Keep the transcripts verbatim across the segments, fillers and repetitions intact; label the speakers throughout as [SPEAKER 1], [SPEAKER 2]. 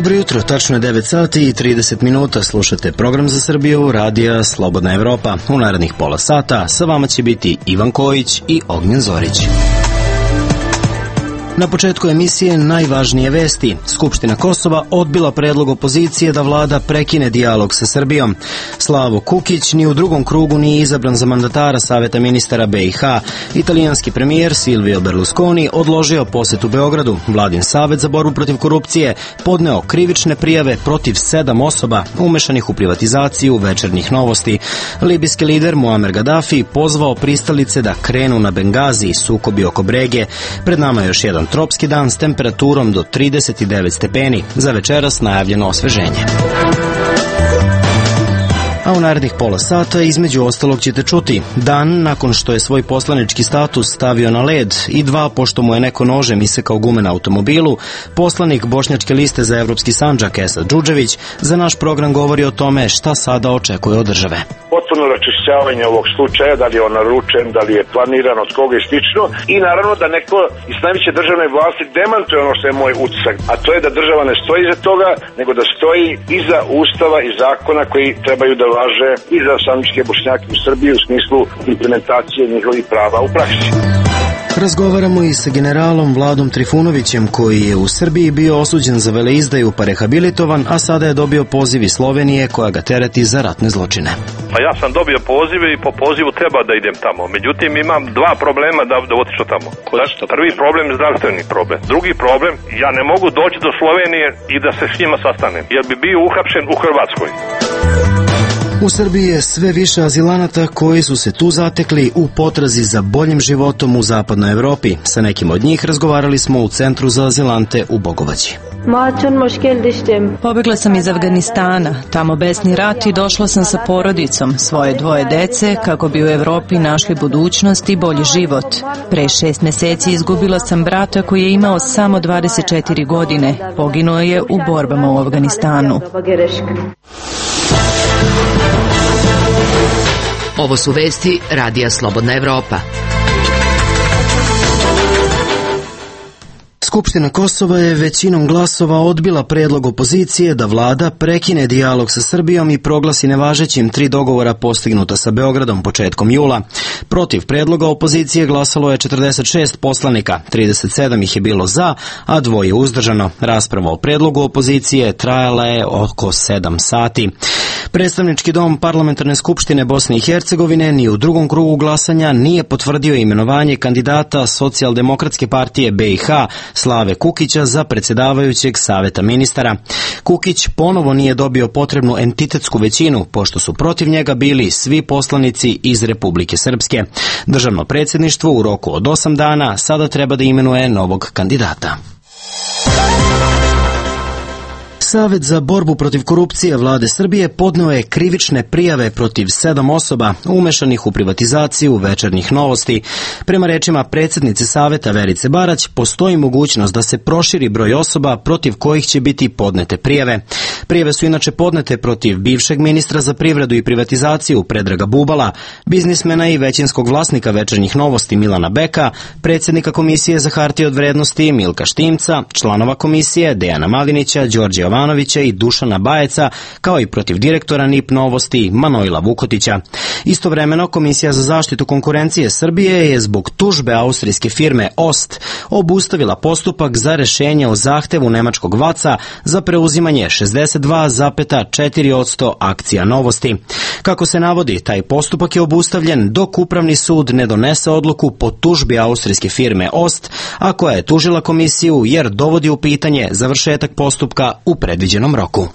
[SPEAKER 1] Dobro jutro, tačno je devet sati i trideset minuta, slušate program za Srbiju, radija Slobodna Evropa. U narednih pola sata sa vama će biti Ivan Kojić i Ognjen Zorić. Na početku emisije najvažnije vesti. Skupština Kosova odbila predlog opozicije da vlada prekine dijalog sa Srbijom. Slavo Kukić ni u drugom krugu nije izabran za mandatara Saveta ministara B i H. Italijanski premijer Silvio Berlusconi odložio posetu Beogradu. Vladin savet za borbu protiv korupcije podneo krivične prijave protiv sedam osoba umešanih u privatizaciju Večernjih novosti. Libijski lider Muamer Gaddafi pozvao pristalice da krenu na Bengazi, sukobi oko Brege. Pred nama je još jedan tropski dan s temperaturom do trideset devet stepeni. Za večeras najavljeno osveženje. A u narednih pola sata između ostalog ćete čuti dan nakon što je svoj poslanički status stavio na led i dva pošto mu je neko nožem isekao gume na automobilu, poslanik Bošnjačke liste za Evropski Sandžak Esad Džudžević za naš program govori o tome šta sada očekuje od države.
[SPEAKER 2] Potpuno raščišćavanje ovog slučaja, da li je on naručen, da li je planiran, od koga je slično, i naravno da neko iz najveće državne vlasti demantuje ono što je moj utisak, a to je da država ne stoji iza toga, nego da stoji iza ustava i zakona koji trebaju da važe i za sandžačke Bošnjake u Srbiji u smislu implementacije njihovih prava u praksi.
[SPEAKER 1] Razgovaramo i sa generalom Vladom Trifunovićem, koji je u Srbiji bio osuđen za veleizdaju pa rehabilitovan, a sada je dobio poziv iz Slovenije koja ga tereti za ratne zločine.
[SPEAKER 3] Pa ja sam dobio pozive i po pozivu treba da idem tamo. Međutim, imam dva problema da, da otišao tamo. Prvi problem je zdravstveni problem. Drugi problem, ja ne mogu doći do Slovenije i da se s njima sastanem, jer bi bio uhapšen u Hrvatskoj.
[SPEAKER 1] U Srbiji je sve više azilanata koji su se tu zatekli u potrazi za boljim životom u zapadnoj Evropi. Sa nekim od njih razgovarali smo u Centru za azilante u Bogovaći.
[SPEAKER 4] Pobegla sam iz Afganistana, tamo besni rat, i došla sam sa porodicom, svoje dvoje dece, kako bi u Evropi našli budućnost i bolji život. Pre šest meseci izgubila sam brata koji je imao samo dvadeset četiri godine. Poginuo je u borbama u Afganistanu.
[SPEAKER 5] Ovo su vesti radija Slobodna Evropa.
[SPEAKER 1] Skupština Kosova je većinom glasova odbila predlog opozicije da vlada prekine dijalog sa Srbijom i proglasi nevažećim tri dogovora postignuta sa Beogradom početkom jula. Protiv predloga opozicije glasalo je četrdeset šest poslanika, trideset sedam ih je bilo za, a dvoje uzdržano. Rasprava o predlogu opozicije trajala je oko sedam sati. Predstavnički dom Parlamentarne skupštine Bosne i Hercegovine ni u drugom krugu glasanja nije potvrdio imenovanje kandidata Socijaldemokratske partije B i H Slave Kukića za predsjedavajućeg Saveta ministara. Kukić ponovo nije dobio potrebnu entitetsku većinu, pošto su protiv njega bili svi poslanici iz Republike Srpske. Državno predsjedništvo u roku od osam dana sada treba da imenuje novog kandidata. Savet za borbu protiv korupcije Vlade Srbije podneo je krivične prijave protiv sedam osoba umešanih u privatizaciju Večernjih novosti. Prema rečima predsjednice Saveta Verice Barać, postoji mogućnost da se proširi broj osoba protiv kojih će biti podnete prijave. Prijave su inače podnete protiv bivšeg ministra za privredu i privatizaciju Predraga Bubala, biznismena i većinskog vlasnika Večernjih novosti Milana Beka, predsjednika Komisije za hartije od vrednosti Milka Štimca, članova komisije Dejana Malinića, Đorđe Jovanovića i Dušana Bajeca, kao i protiv direktora N I P Novosti Manojla Vukotića. Istovremeno, Komisija za zaštitu konkurencije Srbije je zbog tužbe austrijske firme Ost obustavila postupak za rešenje o zahtevu nemačkog vaca za preuzimanje šezdeset dva zarez četiri posto akcija Novosti. Kako se navodi, taj postupak je obustavljen dok Upravni sud ne donese odluku po tužbi austrijske firme Ost, a koja je tužila komisiju jer dovodi u pitanje završetak postupka u predviđenom roku.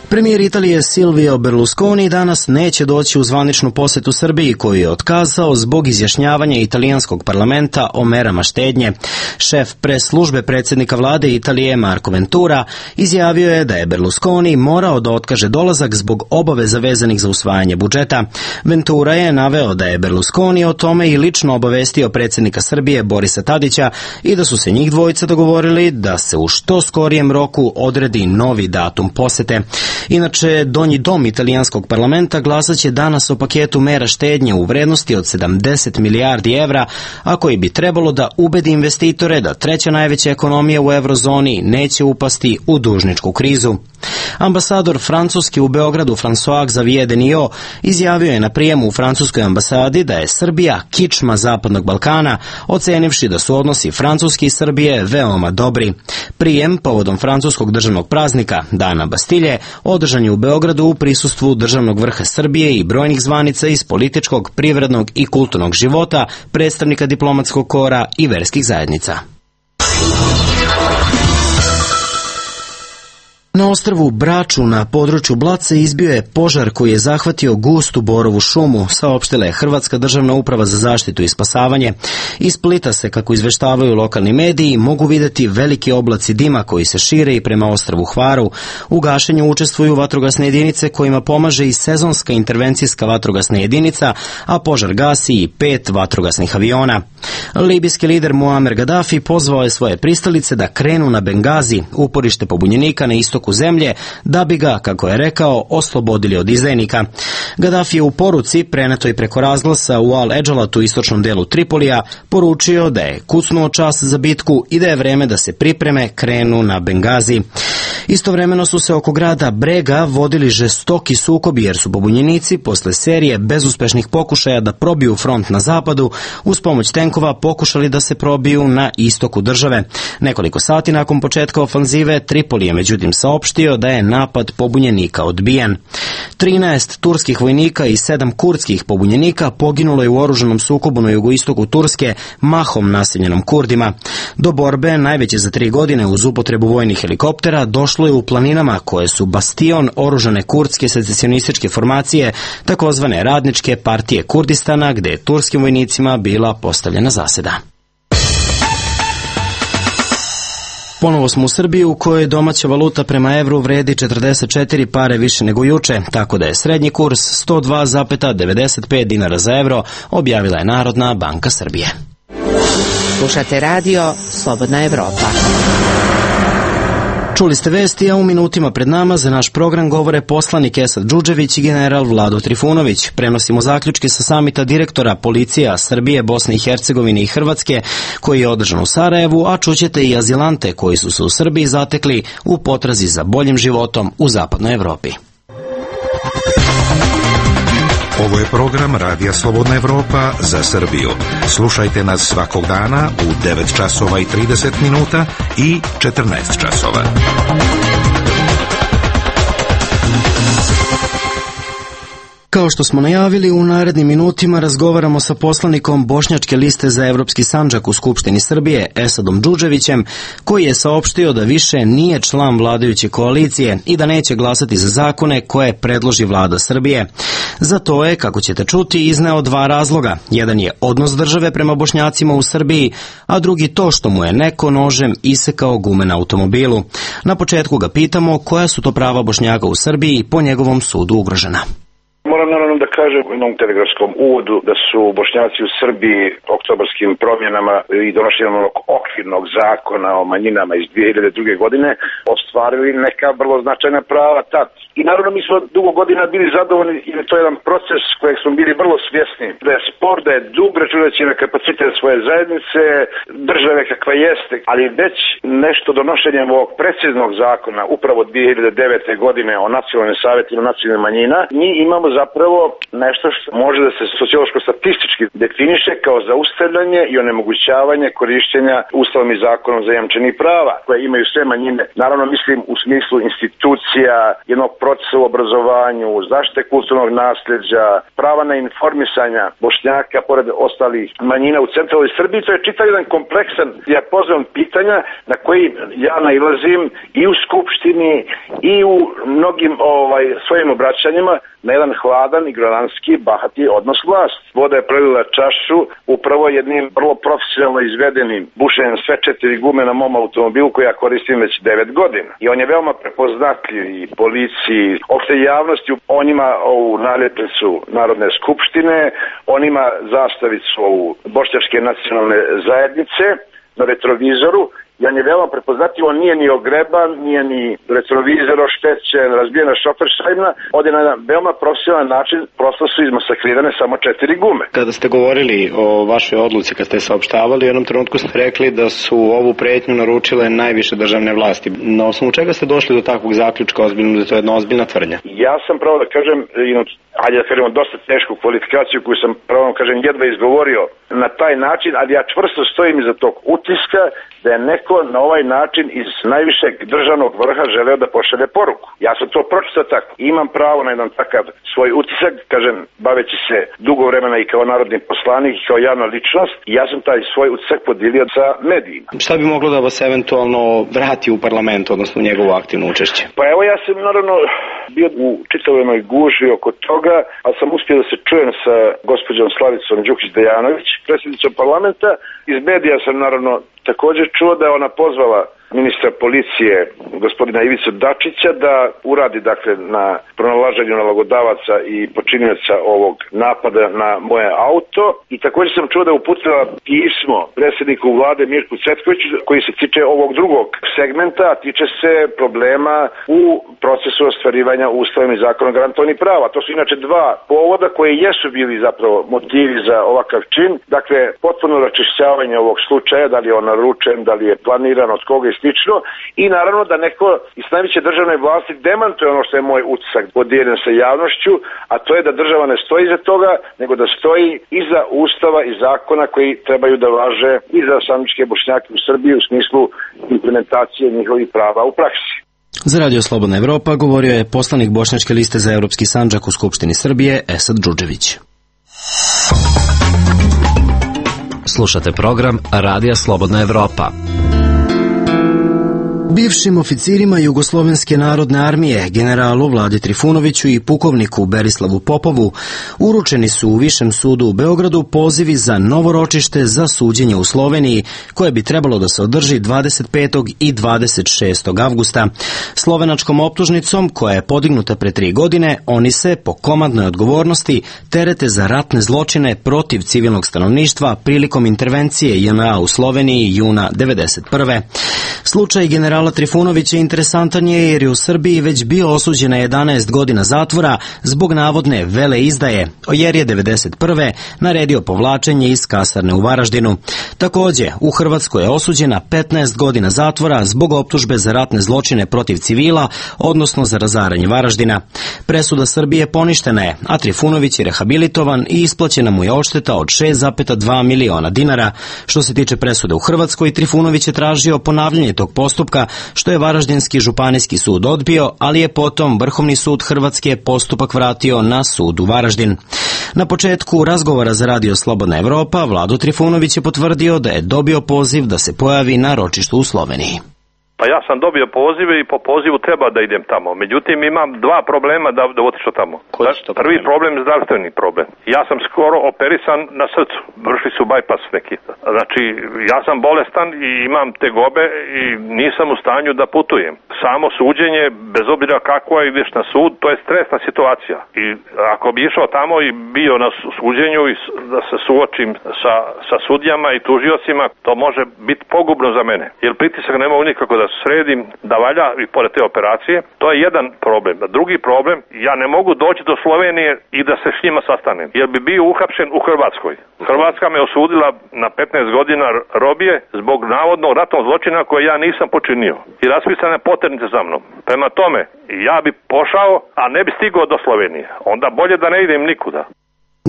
[SPEAKER 1] Premijer Italije Silvio Berlusconi danas neće doći u zvaničnu posetu Srbiji, koju je otkazao zbog izjašnjavanja italijanskog parlamenta o merama štednje. Šef pres službe predsjednika vlade Italije Marco Ventura izjavio je da je Berlusconi morao da otkaže dolazak zbog obaveza vezanih za usvajanje budžeta. Ventura je naveo da je Berlusconi o tome i lično obavestio predsjednika Srbije Borisa Tadića i da su se njih dvojica dogovorili da se u što skorijem roku odredi novi datum posete. Inače, donji dom italijanskog parlamenta glasat će danas o paketu mera štednje u vrednosti od sedamdeset milijardi evra, a koji bi trebalo da ubedi investitore da treća najveća ekonomija u eurozoni neće upasti u dužničku krizu. Ambasador Francuski u Beogradu François Xavier Denio izjavio je na prijemu u francuskoj ambasadi da je Srbija kičma Zapadnog Balkana, ocenivši da su odnosi Francuske i Srbije veoma dobri. Prijem povodom francuskog državnog praznika Dana Bastilje održan je u Beogradu u prisustvu državnog vrha Srbije i brojnih zvanica iz političkog, privrednog i kulturnog života, predstavnika diplomatskog kora i verskih zajednica. Na ostrvu Braču na području Blaca izbio je požar koji je zahvatio gustu borovu šumu, saopštila je Hrvatska državna uprava za zaštitu i spasavanje. Iz Splita se, kako izveštavaju lokalni mediji, mogu videti veliki oblaci dima koji se šire i prema ostrvu Hvaru. U gašenju učestvuju vatrogasne jedinice kojima pomaže i sezonska intervencijska vatrogasna jedinica, a požar gasi i pet vatrogasnih aviona. Libijski lider Muamer Gaddafi pozvao je svoje pristalice da krenu na Bengazi, uporište pobunjenika na istoku zemlje, da bi ga, kako je rekao, oslobodili od izdajnika. Gaddafi je u poruci, prenetoj preko razglasa u Al-Edžalatu, istočnom delu Tripolija, poručio da je kucnuo čas za bitku i da je vreme da se pripreme krenu na Bengazi. Istovremeno su se oko grada Brega vodili žestoki sukobi jer su pobunjenici posle serije bezuspešnih pokušaja da probiju front na zapadu uz pomoć tenkova pokušali da se probiju na istoku države. Nekoliko sati nakon početka ofanzive Tripoli je međutim saopštio da je napad pobunjenika odbijen. trinaest turskih vojnika i sedam kurdskih pobunjenika poginulo je u oružanom sukobu na jugoistoku Turske, mahom naseljenom Kurdima. Do borbe, najveće za tri godine uz upotrebu vojnih helikoptera, došlo je u planinama koje su bastion oružane kurdske secesionističke formacije, takozvane Radničke partije Kurdistana, gde je turskim vojnicima bila postavljena zaseda. Ponovo smo u Srbiji u kojoj domaća valuta prema evru vredi četrdeset četiri pare više nego juče, tako da je srednji kurs sto dva zarez devedeset pet dinara za evro, objavila je Narodna banka Srbije.
[SPEAKER 5] Slušate radio Slobodna Evropa.
[SPEAKER 1] Čuli ste vesti, a u minutima pred nama za naš program govore poslanik Esad Đuđević i general Vlado Trifunović. Prenosimo zaključke sa samita direktora policija Srbije, Bosne i Hercegovine i Hrvatske, koji je održan u Sarajevu, a čućete i azilante koji su se u Srbiji zatekli u potrazi za boljim životom u zapadnoj Evropi.
[SPEAKER 6] Ovo je program Radija Slobodna Evropa za Srbiju. Slušajte nas svakog dana u devet časova i trideset minuta i četrnaest časova.
[SPEAKER 1] Kao što smo najavili, u narednim minutima razgovaramo sa poslanikom Bošnjačke liste za Evropski Sandžak u Skupštini Srbije, Esadom Đuđevićem, koji je saopštio da više nije član vladajuće koalicije i da neće glasati za zakone koje predloži vlada Srbije. Za to je, kako ćete čuti, izneo dva razloga. Jedan je odnos države prema Bošnjacima u Srbiji, a drugi to što mu je neko nožem isekao gume na automobilu. Na početku ga pitamo koja su to prava Bošnjaka u Srbiji po njegovom sudu ugrožena.
[SPEAKER 2] Moram naravno da kažem u jednom telegrafskom uvodu da su Bošnjaci u Srbiji oktobarskim promjenama i donošenjem onog okvirnog zakona o manjinama iz dvije hiljade druge. godine ostvarili neka vrlo značajna prava tad. I naravno mi smo dugo godina bili zadovoljni jer je to jedan proces kojeg smo bili vrlo svjesni. Da je spor, da je dug računajući na kapacitet svoje zajednice, države kakva jeste, ali već nešto donošenjem ovog preciznog zakona upravo dvije hiljade devete. godine o nacionalnim savjetima nacionalnih manjina, mi imamo zapravo nešto što može da se sociološko-statistički definiše kao zaustavljanje i onemogućavanje korišćenja Ustavom i zakonom zajamčenih prava koje imaju sve manjine. Naravno mislim u smislu institucija, jednog procesa u obrazovanju, zaštite kulturnog nasljeđa, prava na informisanja Bošnjaka pored ostalih manjina u centralnoj Srbiji. To je čitav jedan kompleksan dijapazon pitanja na koji ja nailazim i u Skupštini i u mnogim ovaj, svojim obraćanjima na jedan hladan, ignorantski, bahati odnos vlast. Voda je prelila čašu upravo jednim vrlo profesionalno izvedenim bušenjem sve četiri gume na mom automobilu koji ja koristim već devet godina. I on je veoma prepoznatljiv i policiji, opšte javnosti. On ima ovu naljepnicu Narodne skupštine, on ima zastavicu ovu Bošnjačke nacionalne zajednice na retrovizoru jer je veoma prepoznatljivo, nije ni ogreban, nije ni retrovizor oštećen, razbijena šofer šajna, ovdje na jedan veoma profesionalan način prosto su izmasakrirane samo četiri gume.
[SPEAKER 7] Kada ste govorili o vašoj odluci, kad ste saopštavali, u jednom trenutku ste rekli da su ovu pretnju naručile najviše državne vlasti. Na osnovu čega ste došli do takvog zaključka, ozbiljno, da to je jedna ozbiljna tvrdnja?
[SPEAKER 2] Ja sam pravo da kažem, ajde da kažemo dosta tešku kvalifikaciju koju sam pravo da kažem jedva izgovorio na taj način, ali ja čvrsto stojim iza tog utiska da je neko na ovaj način iz najvišeg državnog vrha želeo da pošalje poruku. Ja sam to pročitao tako. Imam pravo na jedan takav svoj utisak, kažem, baveći se dugo vremena i kao narodni poslanik i kao javna ličnost, ja sam taj svoj utisak podelio sa medijima.
[SPEAKER 7] Šta bi moglo da vas eventualno vrati u parlament, odnosno u njegovo aktivno učešće?
[SPEAKER 2] Pa evo, ja sam naravno bio u čitavenoj guži oko toga, ali sam uspio da se čujem sa gospođom Slavicom Đukić-Dejanović, predsjednicom parlamenta. Iz medija sam naravno također čuo da je ona pozvala ministra policije, gospodina Ivicu Dačića, da uradi dakle na pronalaženju nalogodavaca i počinioca ovog napada na moje auto. I također sam čuo da je uputila pismo predsjedniku vlade Mirku Cvetkoviću koji se tiče ovog drugog segmenta, a tiče se problema u procesu ostvarivanja ustavom i zakonom garantovanih prava. To su inače dva povoda koji jesu bili zapravo motivi za ovakav čin. Dakle, potpuno raščišćavanje ovog slučaja, da li je on naručen, da li je planiran, od koga je slično, i naravno da neko iz najveće državne vlasti demantuje ono što je moj utisak podijeljen sa javnošću, a to je da država ne stoji iza toga, nego da stoji iza ustava i zakona koji trebaju da važe i za sandžačke Bošnjake u Srbiji u smislu implementacije njihovih prava u praksi.
[SPEAKER 1] Za Radio Slobodna Evropa govorio je poslanik Bošnjačke liste za Evropski Sandžak u Skupštini Srbije Esad Džudžević.
[SPEAKER 8] Slušate program Radija Slobodna Evropa.
[SPEAKER 1] Bivšim oficirima Jugoslovenske narodne armije, generalu Vladi Trifunoviću i pukovniku Berislavu Popovu, uručeni su u Višem sudu u Beogradu pozivi za novo ročište za suđenje u Sloveniji, koje bi trebalo da se održi dvadeset petog i dvadeset šestog avgusta. Slovenačkom optužnicom, koja je podignuta pre tri godine, oni se, po komandnoj odgovornosti, terete za ratne zločine protiv civilnog stanovništva prilikom intervencije J N A u Sloveniji juna devedeset prve. Slučaj generala Trifunovića interesantan je jer je u Srbiji već bio osuđen na jedanaest godina zatvora zbog navodne veleizdaje, jer je devedeset prve naredio povlačenje iz kasarne u Varaždinu. Takođe, u Hrvatskoj je osuđen na petnaest godina zatvora zbog optužbe za ratne zločine protiv civila, odnosno za razaranje Varaždina. Presuda Srbije poništena je, a Trifunović je rehabilitovan i isplaćena mu je odšteta od šest zarez dva miliona dinara. Što se tiče presude u Hrvatskoj, Trifunović je tražio ponavljanje tog postupka, što je Varaždinski županijski sud odbio, ali je potom Vrhovni sud Hrvatske postupak vratio na sud u Varaždin. Na početku razgovora za Radio Slobodna Evropa, Vlado Trifunović je potvrdio da je dobio poziv da se pojavi na ročištu u Sloveniji.
[SPEAKER 3] Pa ja sam dobio pozive i po pozivu treba da idem tamo. Međutim, imam dva problema da, da otišao tamo. Prvi problem je zdravstveni problem. Ja sam skoro operisan na srcu. Vršili su bajpas neki. Znači, ja sam bolestan i imam tegobe i nisam u stanju da putujem. Samo suđenje, bez obzira kako ideš na sud, to je stresna situacija. I ako bi išao tamo i bio na suđenju i da se suočim sa, sa sudijama i tužiocima, to može biti pogubno za mene. Jer pritisak ne mogu nikako da sredim, da valja i pored te operacije. To je jedan problem. Drugi problem, ja ne mogu doći do Slovenije i da se s njima sastanem. Jer bi bio uhapšen u Hrvatskoj. Hrvatska me osudila na petnaest godina robije zbog navodnog ratnog zločina koje ja nisam počinio. I raspisane poternice za mnom. Prema tome, ja bi pošao, a ne bi stigao do Slovenije. Onda bolje da ne idem nikuda.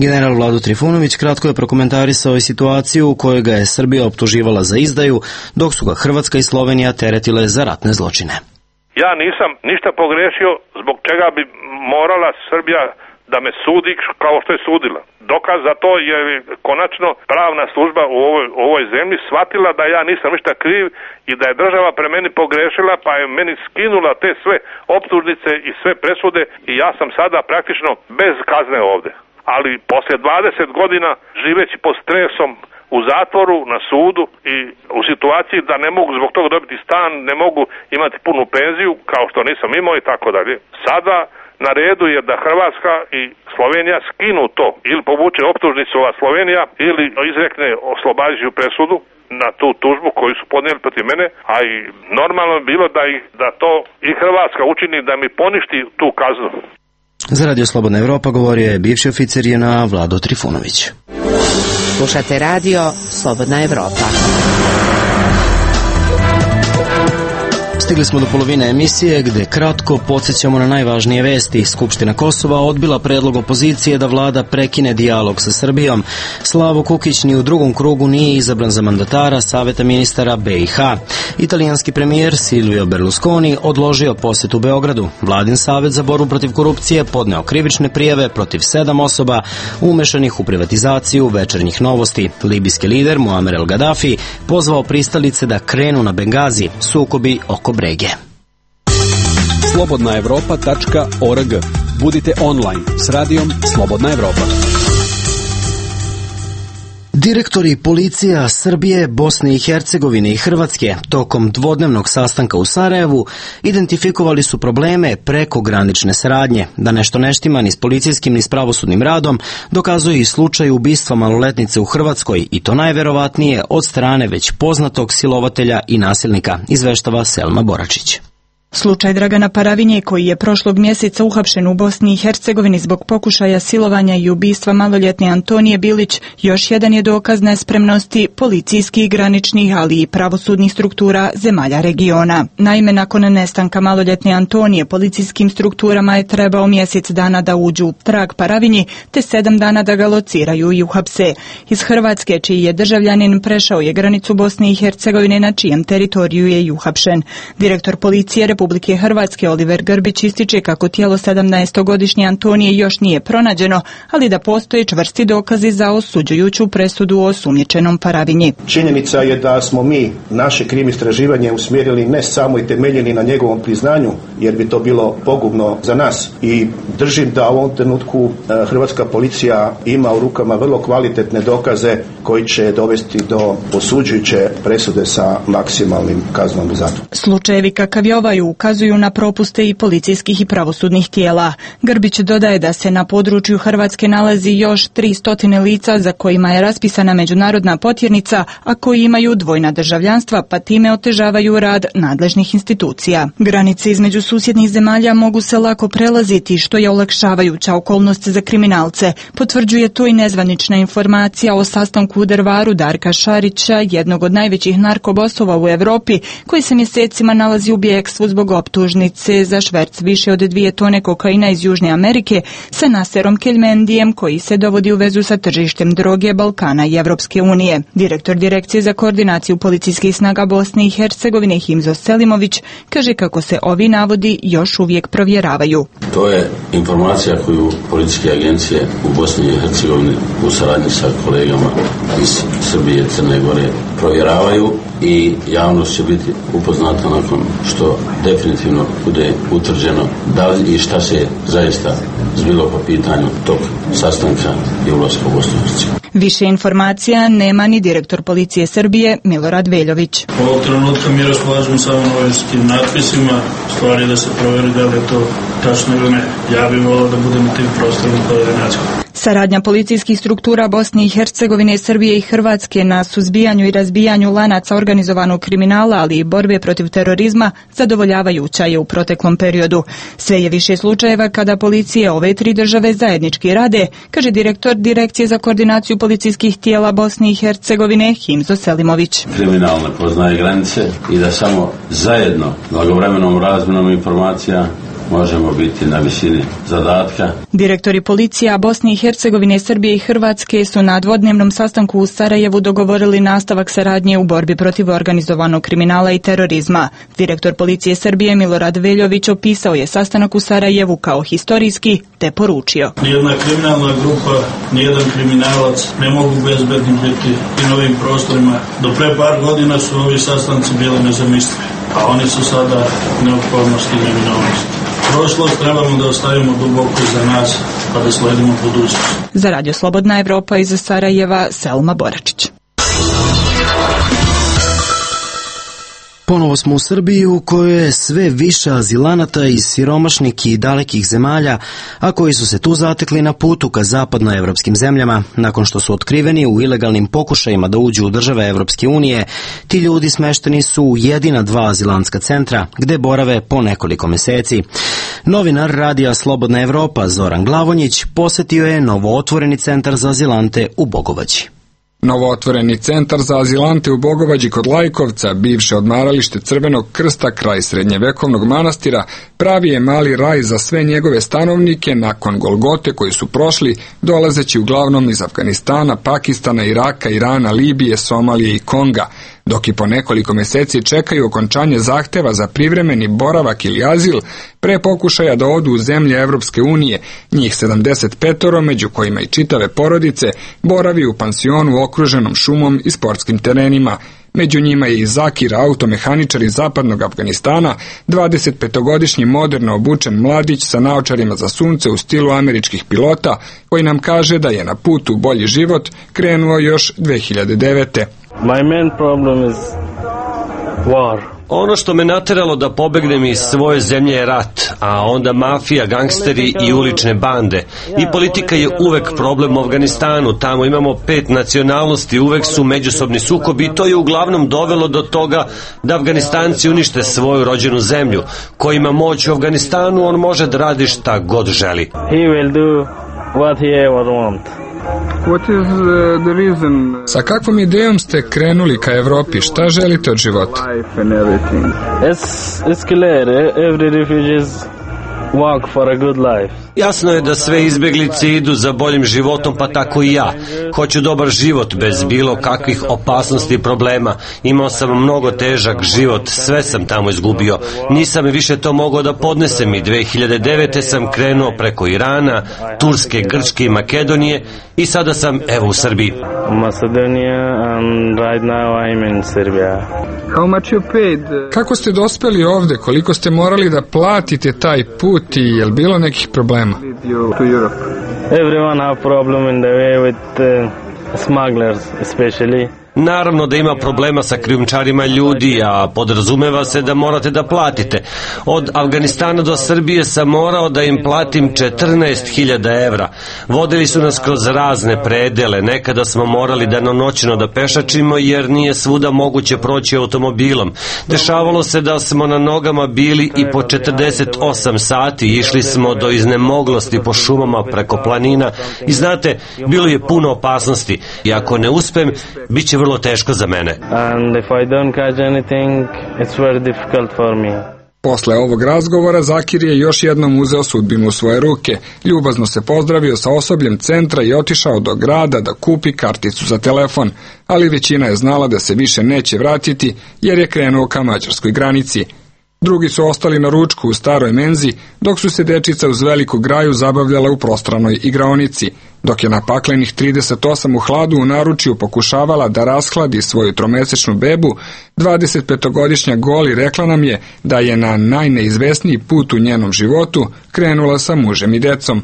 [SPEAKER 1] General Vlado Trifunović kratko je prokomentarisao i situaciju u kojoj ga je Srbija optuživala za izdaju, dok su ga Hrvatska i Slovenija teretile za ratne zločine.
[SPEAKER 3] Ja nisam ništa pogrešio zbog čega bi morala Srbija da me sudi kao što je sudila. Dokaz za to je konačno pravna služba u ovoj, u ovoj zemlji shvatila da ja nisam ništa kriv i da je država pre meni pogrešila, pa je meni skinula te sve optužnice i sve presude i ja sam sada praktično bez kazne ovde. Ali poslije dvadeset godina živeći pod stresom u zatvoru, na sudu i u situaciji da ne mogu zbog toga dobiti stan, ne mogu imati punu penziju kao što nisam imao i tako dalje. Sada na redu je da Hrvatska i Slovenija skinu to, ili povuče optužnicu ova Slovenija, ili izrekne oslobađajuću presudu na tu tužbu koju su podnijeli protiv mene, a i normalno je bilo da, ih, da to i Hrvatska učini da mi poništi tu kaznu.
[SPEAKER 1] Za Radio Slobodna Evropa govorio je bivši oficir J N A Vlado Trifunović.
[SPEAKER 5] Slušate Radio Slobodna Evropa.
[SPEAKER 1] Stigli smo do polovine emisije gde kratko podsjećamo na najvažnije vesti. Skupština Kosova odbila predlog opozicije da vlada prekine dijalog sa Srbijom. Slavo Kukić ni u drugom krugu nije izabran za mandatara Saveta ministara B i H. Italijanski premijer Silvio Berlusconi odložio posjet u Beogradu. Vladin savet za borbu protiv korupcije podneo krivične prijave protiv sedam osoba umešanih u privatizaciju Večernjih novosti. Libijski lider Muamer el Gaddafi pozvao pristalice da krenu na Bengazi, sukobi oko Brege.
[SPEAKER 9] slobodna evropa tačka org. Budite online s radijom Slobodna Evropa.
[SPEAKER 1] Direktori policija Srbije, Bosne i Hercegovine i Hrvatske tokom dvodnevnog sastanka u Sarajevu identifikovali su probleme prekogranične saradnje. Da nešto ne štima ni s policijskim ni s pravosudnim radom dokazuje i slučaj ubistva maloletnice u Hrvatskoj, i to najverovatnije od strane već poznatog silovatelja i nasilnika, izveštava Selma Boračić.
[SPEAKER 10] Slučaj Dragana Paravinje, koji je prošlog mjeseca uhapšen u Bosni i Hercegovini zbog pokušaja silovanja i ubistva maloljetne Antonije Bilić, još jedan je dokaz nespremnosti policijskih, graničnih, ali i pravosudnih struktura zemalja regiona. Naime, nakon nestanka maloljetne Antonije, policijskim strukturama je trebao mjesec dana da uđu u trag Paravinji, te sedam dana da ga lociraju i uhapse. Iz Hrvatske, čiji je državljanin, prešao je granicu Bosne i Hercegovine, na čijem teritoriju je i uhapšen. Direktor policije Republike Hrvatske Oliver Grbić ističe kako tijelo sedamnaestogodišnje Antonije još nije pronađeno, ali da postoje čvrsti dokazi za osuđujuću presudu o osumnjičenom Paravinji.
[SPEAKER 11] Činjenica je da smo mi naše krim istraživanje usmjerili ne samo i temeljeni na njegovom priznanju, jer bi to bilo pogubno za nas. I držim da u ovom trenutku hrvatska policija ima u rukama vrlo kvalitetne dokaze koji će dovesti do osuđujuće presude sa maksimalnim kaznom u zatvoru.
[SPEAKER 10] Slučajevi kakav je ovaj ukazuju na propuste i policijskih i pravosudnih tijela. Grbić dodaje da se na području Hrvatske nalazi još tristo lica za kojima je raspisana međunarodna potjernica, a koji imaju dvojna državljanstva, pa time otežavaju rad nadležnih institucija. Granice između susjednih zemalja mogu se lako prelaziti, što je olakšavajuća okolnost za kriminalce. Potvrđuje to i nezvanična informacija o sastanku u Drvaru Darka Šarića, jednog od najvećih narkobosova u Evropi, koji se mjesecima nalazi u bijegstvu zbog optužnice za šverc više od dvije tone kokaina iz Južne Amerike sa Naserom Keljmendijem, koji se dovodi u vezu sa tržištem droge Balkana i Evropske unije. Direktor Direkcije za koordinaciju policijskih snaga Bosne i Hercegovine Himzo Selimović kaže kako se ovi navodi još uvijek provjeravaju.
[SPEAKER 12] To je informacija koju policijske agencije u Bosni i Hercegovini u saradnji sa kolegama iz Srbije i Crne Gore provjeravaju i javnost će biti upoznata nakon što definitivno bude utvrđeno da li i šta se zaista zbilo po pitanju tog sastanka i ulaska u Bosnu i Hercegovinu.
[SPEAKER 10] Više informacija nema ni direktor policije Srbije Milorad Veljović.
[SPEAKER 13] U ovog trenutka mi raspolažemo samo novinskim natpisima, stvari da se proveri da li je to tačno ili ne. Ja bih volao da budem u tim prostorima koordinacijom.
[SPEAKER 10] Saradnja policijskih struktura Bosne i Hercegovine, Srbije i Hrvatske na suzbijanju i razbijanju lanaca organizovanog kriminala, ali i borbe protiv terorizma zadovoljavajuća je u proteklom periodu. Sve je više slučajeva kada policije ove tri države zajednički rade, kaže direktor Direkcije za koordinaciju policijskih tijela Bosne i Hercegovine Himzo Selimović.
[SPEAKER 12] Kriminal ne poznaje granice i da samo zajedno, blagovremenom razmjenom informacija možemo biti na visini zadatka.
[SPEAKER 10] Direktori policija Bosne i Hercegovine, Srbije i Hrvatske su na dvodnevnom sastanku u Sarajevu dogovorili nastavak saradnje u borbi protiv organizovanog kriminala i terorizma. Direktor policije Srbije Milorad Veljović opisao je sastanak u Sarajevu kao historijski, te poručio:
[SPEAKER 13] Nijedna kriminalna grupa, nijedan kriminalac ne mogu bezbedni biti i na ovim prostorima. Do pre par godina su ovi sastanci bili nezamislivi, a oni su sada neophodnost i neminovnost. Prošlost trebamo da ostavimo duboko iza nas, pa da sledimo budućnost.
[SPEAKER 10] Za Radio Slobodna Evropa iz Sarajeva, Selma Boračić.
[SPEAKER 1] Ponovo smo u Srbiji u kojoj je sve više azilanata iz siromašnih i dalekih zemalja, a koji su se tu zatekli na putu ka zapadnoevropskim zemljama. Nakon što su otkriveni u ilegalnim pokušajima da uđu u države Evropske unije, ti ljudi smešteni su u jedina dva azilantska centra, gde borave po nekoliko meseci. Novinar Radija Slobodna Evropa Zoran Glavonjić posetio je novootvoreni centar za azilante u Bogovađi.
[SPEAKER 14] Novootvoreni centar za azilante u Bogovađi kod Lajkovca, bivše odmaralište Crvenog krsta kraj srednjevekovnog manastira, pravi je mali raj za sve njegove stanovnike nakon Golgote koji su prošli, dolazeći uglavnom iz Afganistana, Pakistana, Iraka, Irana, Libije, Somalije i Konga, dok i po nekoliko meseci čekaju okončanje zahteva za privremeni boravak ili azil pre pokušaja da odu u zemlje Evropske unije. Njih sedamdeset pet, među kojima i čitave porodice, boravi u pansionu okruženom šumom i sportskim terenima. Među njima je i Zakir, automehaničar iz zapadnog Afganistana, dvadesetpetogodišnji moderno obučen mladić sa naočarima za sunce u stilu američkih pilota, koji nam kaže da je na put u bolji život krenuo još dve hiljade devete.
[SPEAKER 15] My main problem is war.
[SPEAKER 16] Ono što me nateralo da pobegnem iz svoje zemlje je rat, a onda mafija, gangsteri i ulične bande. I politika je uvek problem u Afganistanu. Tamo imamo pet nacionalnosti, uvek su međusobni sukobi i to je uglavnom dovelo do toga da Afganistanci unište svoju rođenu zemlju. Ko ima moć u Afganistanu, on može da radi šta god želi.
[SPEAKER 15] He will do what he ever want.
[SPEAKER 14] What is the reason? Sa kakvom idejom ste krenuli ka Evropi? Šta želite od života?
[SPEAKER 15] It's, it's clear. Every refugees work for a good life.
[SPEAKER 16] Jasno je da sve izbeglice idu za boljim životom, pa tako i ja. Hoću dobar život bez bilo kakvih opasnosti i problema. Imao sam mnogo težak život, sve sam tamo izgubio. Nisam više to mogao da podnesem i dve hiljade devete sam krenuo preko Irana, Turske, Grčke i Makedonije i sada sam evo u Srbiji.
[SPEAKER 15] Macedonia and right now I'm in Serbia.
[SPEAKER 14] How much you paid? Kako ste dospeli ovde? Koliko ste morali da platite taj put i je li bilo nekih problema?
[SPEAKER 15] Everyone have problem in the way with uh, smugglers especially.
[SPEAKER 16] Naravno da ima problema sa krijumčarima ljudi, a podrazumeva se da morate da platite. Od Afganistana do Srbije sam morao da im platim četrnaest hiljada evra. Vodili su nas kroz razne predele, nekada smo morali danonoćno da pešačimo jer nije svuda moguće proći automobilom. Dešavalo se da smo na nogama bili i po četrdeset osam sati, išli smo do iznemoglosti po šumama preko planina i znate, bilo je puno opasnosti i ako ne uspem, bit će vrlo teško za mene.
[SPEAKER 15] And if I don't catch anything, it's very difficult for me.
[SPEAKER 14] Posle ovog razgovora Zakir je još jednom uzeo sudbinu u svoje ruke, ljubazno se pozdravio sa osobljem centra i otišao do grada da kupi karticu za telefon, ali većina je znala da se više neće vratiti jer je krenuo ka mađarskoj granici. Drugi su ostali na ručku u staroj menzi, dok su se dečica uz veliku graju zabavljala u prostranoj igraonici, dok je na paklenih trideset osam u hladu u naručju pokušavala da rashladi svoju tromesečnu bebu, dvadesetpetogodišnja Goli rekla nam je da je na najneizvesniji put u njenom životu krenula sa mužem i decom.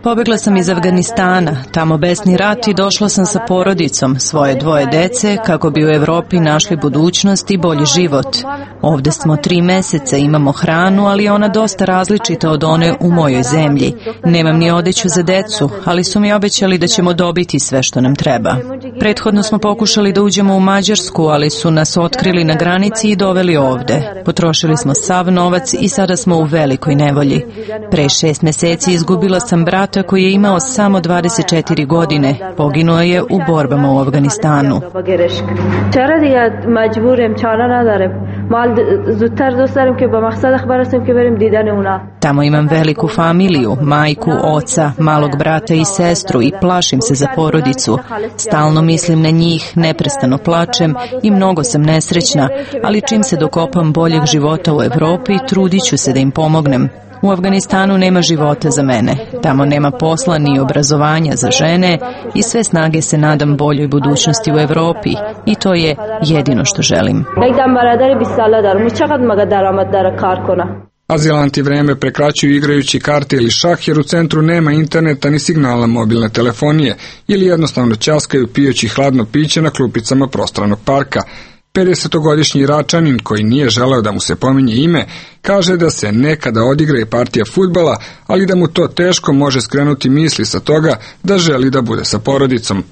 [SPEAKER 4] Pobegla sam iz Afganistana, tamo besni rat i došla sam sa porodicom, svoje dvoje dece, kako bi u Evropi našli budućnost i bolji život. Ovde smo tri meseca, imamo hranu, ali je ona dosta različita od one u mojoj zemlji. Nemam ni odeću za decu, ali su mi obećali da ćemo dobiti sve što nam treba. Prethodno smo pokušali da uđemo u Mađarsku, ali su nas otkrili na granici i doveli ovde. Potrošili smo sav novac i sada smo u velikoj nevolji. Pre šest meseci izgubila sam brata koji je imao samo dvadeset četiri godine. Poginuo je u borbama u Afganistanu. Tamo imam veliku familiju, majku, oca, malog brata i sestru i plašim se za porodicu. Stalno mislim na njih, neprestano plačem i mnogo sam nesrećna, ali čim se dokopam boljeg života u Evropi, trudit ću se da im pomognem. U Afganistanu nema života za mene. Tamo nema posla ni obrazovanja za žene i sve snage se nadam boljoj budućnosti u Evropi i to je jedino što želim.
[SPEAKER 14] Azilanti vreme prekraćuju igrajući karte ili šah jer u centru nema interneta ni signala mobilne telefonije ili jednostavno ćaskaju pijući hladno piće na klupicama prostranog parka. pedesetogodišnji Iračanin koji nije želeo da mu se pominje ime, kaže da se nekada odigra i partija fudbala, ali da mu to teško može skrenuti misli sa toga da želi da bude sa porodicom.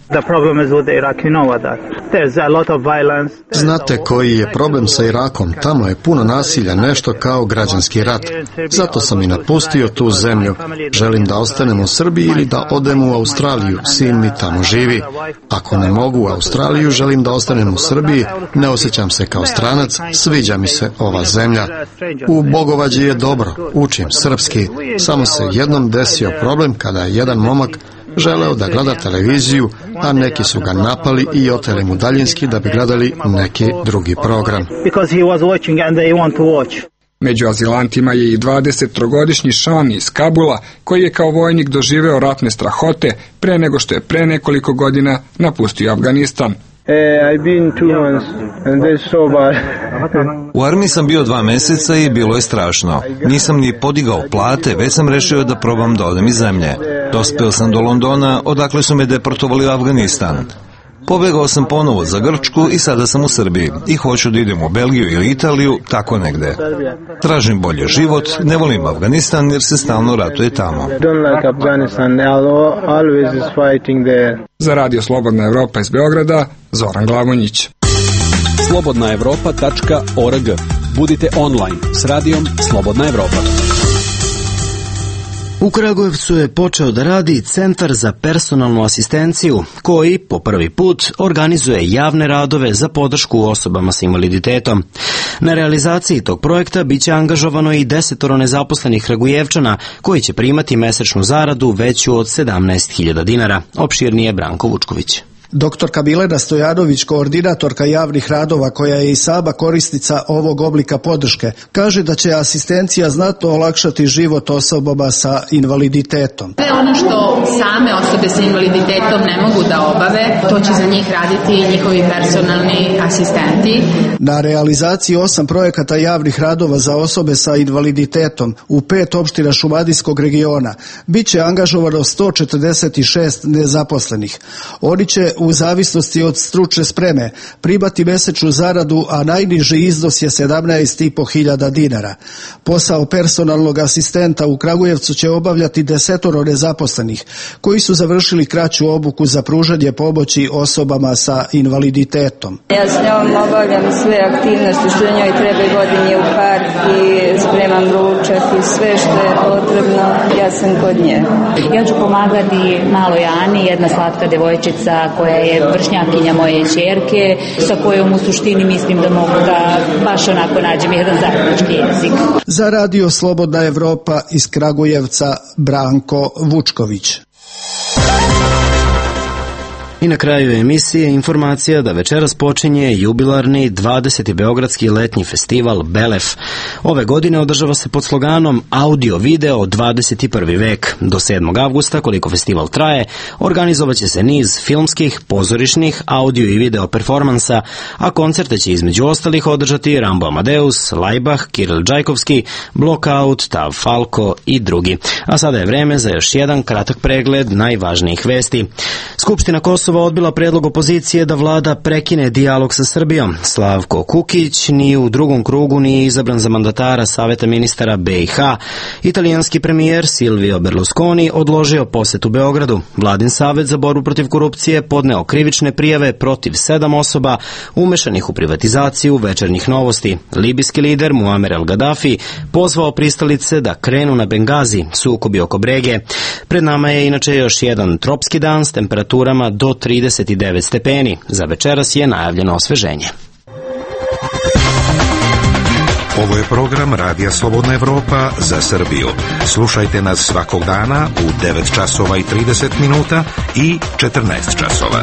[SPEAKER 17] Znate koji je problem sa Irakom? Tamo je puno nasilja, nešto kao građanski rat. Zato sam i napustio tu zemlju. Želim da ostanem u Srbiji ili da odem u Australiju. Sin mi tamo živi. Ako ne mogu u Australiju, želim da ostanem u Srbiji. Ne osjećam se kao stranac, sviđa mi se ova zemlja. U Bogovađi je dobro, učim srpski. Samo se jednom desio problem kada je jedan momak želeo da gleda televiziju, a neki su ga napali i oteli mu daljinski da bi gledali neki drugi program.
[SPEAKER 14] Među azilantima je i dvadesettrogodišnji Šan iz Kabula, koji je kao vojnik doživeo ratne strahote pre nego što je pre nekoliko godina napustio Afganistan.
[SPEAKER 18] U armiji sam bio dva meseca i bilo je strašno. Nisam ni podigao plate, već sam rešio da probam da odem iz zemlje. Dospeo sam do Londona, odakle su me deportovali u Afganistan. Pobegao sam ponovo za Grčku i sada sam u Srbiji i hoću da idem u Belgiju ili Italiju, tako negde. Tražim bolje život, ne volim Afganistan jer se stalno ratuje tamo.
[SPEAKER 14] Za Radio Slobodna Evropa iz Beograda, Zoran Glavonjić.
[SPEAKER 9] slobodna evropa tačka org. Budite online s radijom Slobodna Evropa.
[SPEAKER 1] U Kragujevcu je počeo da radi Centar za personalnu asistenciju, koji po prvi put organizuje javne radove za podršku osobama sa invaliditetom. Na realizaciji tog projekta biće angažovano i desetoro nezaposlenih Kragujevčana, koji će primati mesečnu zaradu veću od sedamnaest hiljada dinara. Opširnije Branko Vučković.
[SPEAKER 19] Doktorka Bilena Stojanović, koordinatorka javnih radova koja je i sama korisnica ovog oblika podrške, kaže da će asistencija znatno olakšati život osobama sa invaliditetom.
[SPEAKER 20] Sve ono što same osobe sa invaliditetom ne mogu da obave, to će za njih raditi njihovi personalni asistenti.
[SPEAKER 19] Na realizaciji osam projekata javnih radova za osobe sa invaliditetom u pet opština Šumadijskog regiona biće angažovano sto četrdeset šest nezaposlenih. Oni će u zavisnosti od stručne spreme primati mesečnu zaradu, a najniži iznos je sedamnaest i po hiljada dinara. Posao personalnog asistenta u Kragujevcu će obavljati desetoro nezaposlenih koji su završili kraću obuku za pružanje pomoći osobama sa invaliditetom.
[SPEAKER 21] Ja s njom obavljam sve aktivnosti što njoj treba, vodim je u park i spremam ručak i sve što je potrebno, ja sam kod nje.
[SPEAKER 22] Ja ću pomagati maloj Ani, jedna slatka devojčica koja je vršnjakinja moje ćerke, sa kojom u suštini mislim da mogu da baš onako nađem jedan zajednički jezik.
[SPEAKER 19] Za Radio Slobodna Evropa iz Kragujevca, Branko Vučković.
[SPEAKER 1] I na kraju emisije informacija da večeras počinje jubilarni dvadeseti beogradski letnji festival Belef. Ove godine održava se pod sloganom Audio video dvadeset prvi vek. Do sedmog avgusta, koliko festival traje, organizovaće se niz filmskih, pozorišnih, audio i video performansa, a koncerte će između ostalih održati Rambo Amadeus, Laibach, Kiril Džajkovski, Blockout, Tav Falko i drugi. A sada je vreme za još jedan kratak pregled najvažnijih vesti. Skupština Kosova odbila predlog opozicije da vlada prekine dijalog sa Srbijom. Slavko Kukić ni u drugom krugu nije izabran za mandatara Saveta ministara B i H. Italijanski premijer Silvio Berlusconi odložio posetu Beogradu. Vladin savet za borbu protiv korupcije podneo krivične prijave protiv sedam osoba umešanih u privatizaciju Večernjih novosti. Libijski lider Muamer el Gaddafi pozvao pristalice da krenu na Bengazi, sukobi oko Brege. Pred nama je inače još jedan tropski dan s temperaturama do trideset devet stepeni. Za večeras je najavljeno osveženje.
[SPEAKER 6] Ovo je program Radija Slobodna Evropa za Srbiju. Slušajte nas svakog dana u devet časova i trideset minuta i četrnaest časova.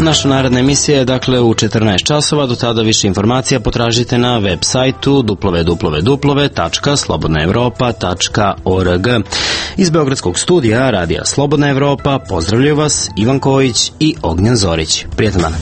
[SPEAKER 1] Naša naredna emisija je dakle u četrnaest časova, do tada više informacija potražite na web sajtu w w w tačka slobodna evropa tačka org. Iz Beogradskog studija Radija Slobodna Evropa pozdravljaju vas Ivan Kojić i Ognjen Zorić. Prijetan dan.